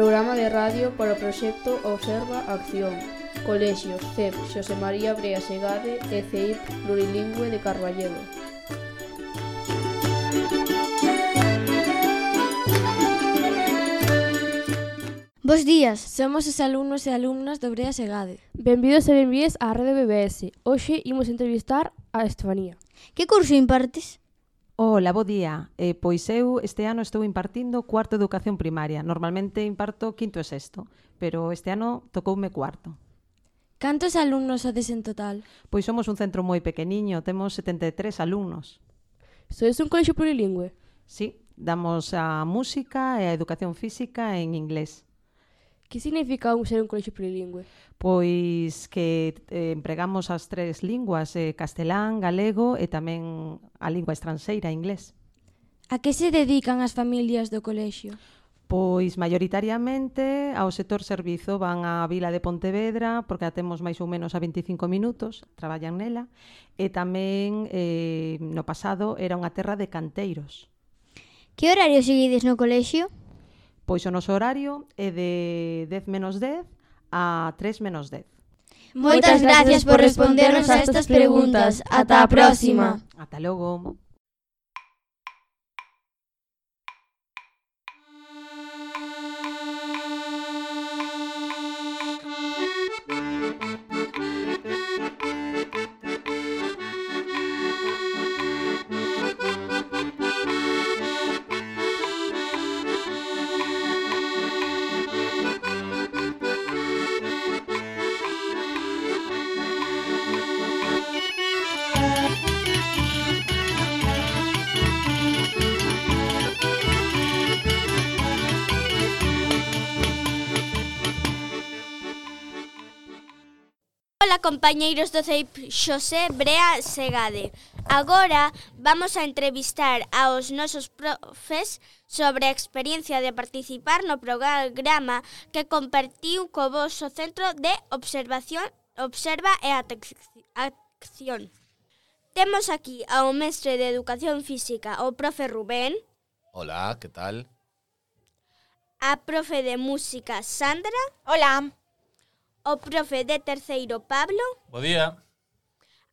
Programa de radio para o proxecto Observa Acción. Colexios CEP Xosé María Brea Segade e CEIP Plurilingüe de Carballedo. Bos días, somos os alumnos e alumnas do Brea Segade. Benvidos e benvidas á Rede BBS. Hoxe imos entrevistar a Estefanía. Que curso impartes? Ola, bo día. Pois eu este ano estou impartindo cuarto de educación primaria. Normalmente imparto quinto e sexto, pero este ano tocoume cuarto. Cantos alumnos sodes en total? Pois somos un centro moi pequeniño, temos 73 alumnos. Sois un colexio plurilingüe? Sí, damos a música e a educación física en inglés. Que significa ser un colexio plurilingüe? Pois que empregamos as tres linguas, castelán, galego e tamén a lingua estranxeira, inglés. A que se dedican as familias do colexio? Pois maioritariamente ao sector servizo, van á vila de Pontevedra porque a temos máis ou menos a 25 minutos, traballan nela, e tamén no pasado era unha terra de canteiros. Que horario seguides no colexio? Pois o noso horario é de 10 menos 10 a 3 menos 10. Moitas gracias por respondernos a estas preguntas. Ata a próxima. Ata logo. Ola, compañeiros do CEIP Xosé Brea Segade. Agora vamos a entrevistar aos nosos profes sobre a experiencia de participar no programa que compartiu co voso Centro de Observación, Observa e Acción. Temos aquí ao mestre de Educación Física, o profe Rubén. Hola, que tal? A profe de Música, Sandra. Hola. O profe de terceiro, Pablo. Bo día.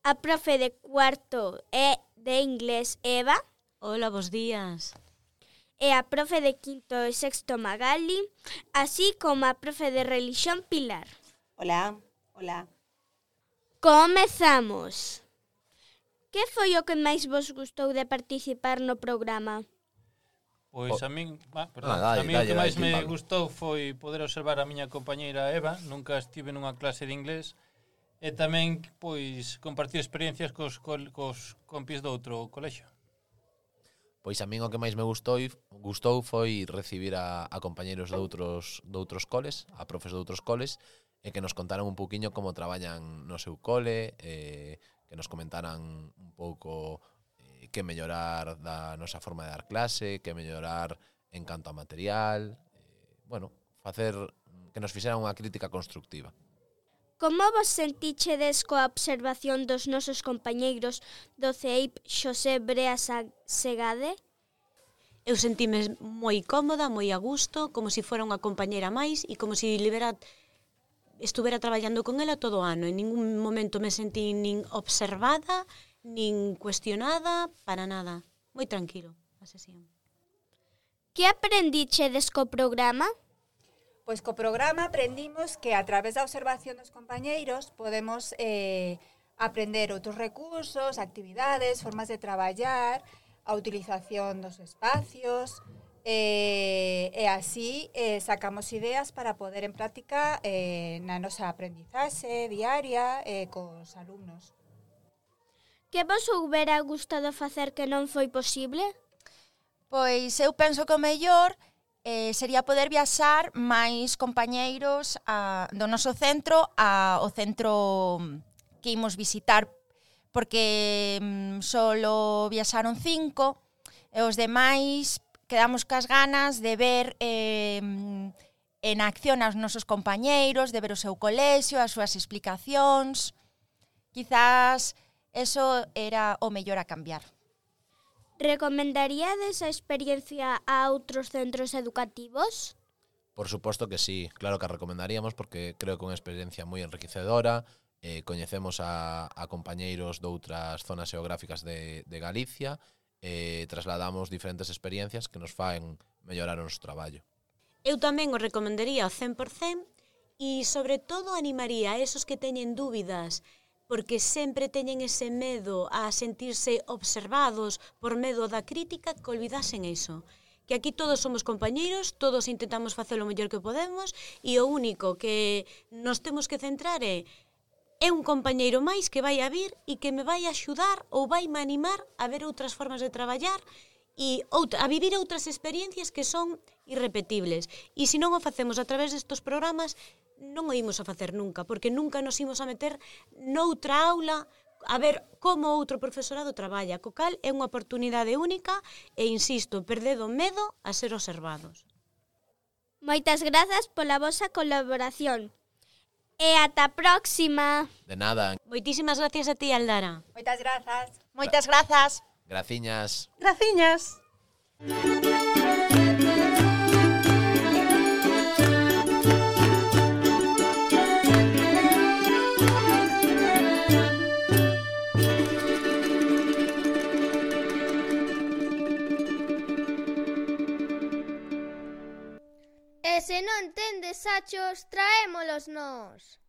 A profe de cuarto e de inglés, Eva. Hola, bos días. E a profe de quinto e sexto, Magali, así como a profe de religión, Pilar. Hola, hola. Comezamos. Que foi o que máis vos gustou de participar no programa? Pois a min, Dale, a min o que máis me Pablo. gustou foi poder observar a miña compañeira Eva. Nunca estive nunha clase de inglés. E tamén, pois, compartir experiencias cos compis do outro colexio. Pois a min o que máis me gustou foi recibir a compañeiros de outros coles, a profes de outros coles, e que nos contaran un pouquiño como traballan no seu cole, que nos comentaran un pouco que mellorar da nosa forma de dar clase, que mellorar en canto a material, facer que nos fixeran unha crítica constructiva. Como vos sentichedes coa observación dos nosos compañeiros do CEIP Xosé Brea Segade? Eu sentime moi cómoda, moi a gusto, como se fora unha compañeira máis e como se estuvera traballando con ela todo o ano. En ningún momento me sentí nin observada, nin cuestionada, para nada. Moi tranquilo a sesión. Que aprendichedes co programa? Pois co programa aprendimos que a través da observación dos compañeiros podemos aprender outros recursos, actividades, formas de traballar, a utilización dos espacios e así sacamos ideas para poder en práctica na nosa aprendizaxe diaria cos alumnos. Que vos houbera gustado facer que non foi posible? Pois eu penso que o mellor sería poder viaxar máis compañeiros do noso centro ao centro que imos visitar, porque solo viaxaron 5 e os demais quedamos cas ganas de ver en acción aos nosos compañeiros, de ver o seu colexio, as súas explicacións. Quizás eso era o mellor a cambiar. Recomendaríades a experiencia a outros centros educativos? Por suposto que sí, claro que a recomendaríamos porque creo que é unha experiencia moi enriquecedora. Coñecemos a compañeiros de outras zonas xeográficas de Galicia e trasladamos diferentes experiencias que nos faen mellorar o noso traballo. Eu tamén o recomendaría ao 100% e, sobre todo, animaría a esos que teñen dúbidas porque sempre teñen ese medo a sentirse observados por medo da crítica, que olvidasen iso. Que aquí todos somos compañeiros, todos intentamos facer o mellor que podemos e o único que nos temos que centrar é un compañeiro máis que vai a vir e que me vai axudar ou vai me animar a ver outras formas de traballar e a vivir outras experiencias que son irrepetibles. E se non o facemos a través destes programas, non o imos a facer nunca, porque nunca nos imos a meter noutra aula a ver como outro profesorado traballa, co cal é unha oportunidade única e, insisto, perdedo medo a ser observados. Moitas grazas pola vosa colaboración. E ata a próxima. De nada. Moitísimas gracias a ti, Aldara. Moitas grazas. Moitas grazas. Graciñas. Graciñas. E se non tendes sachos, traémolos nós.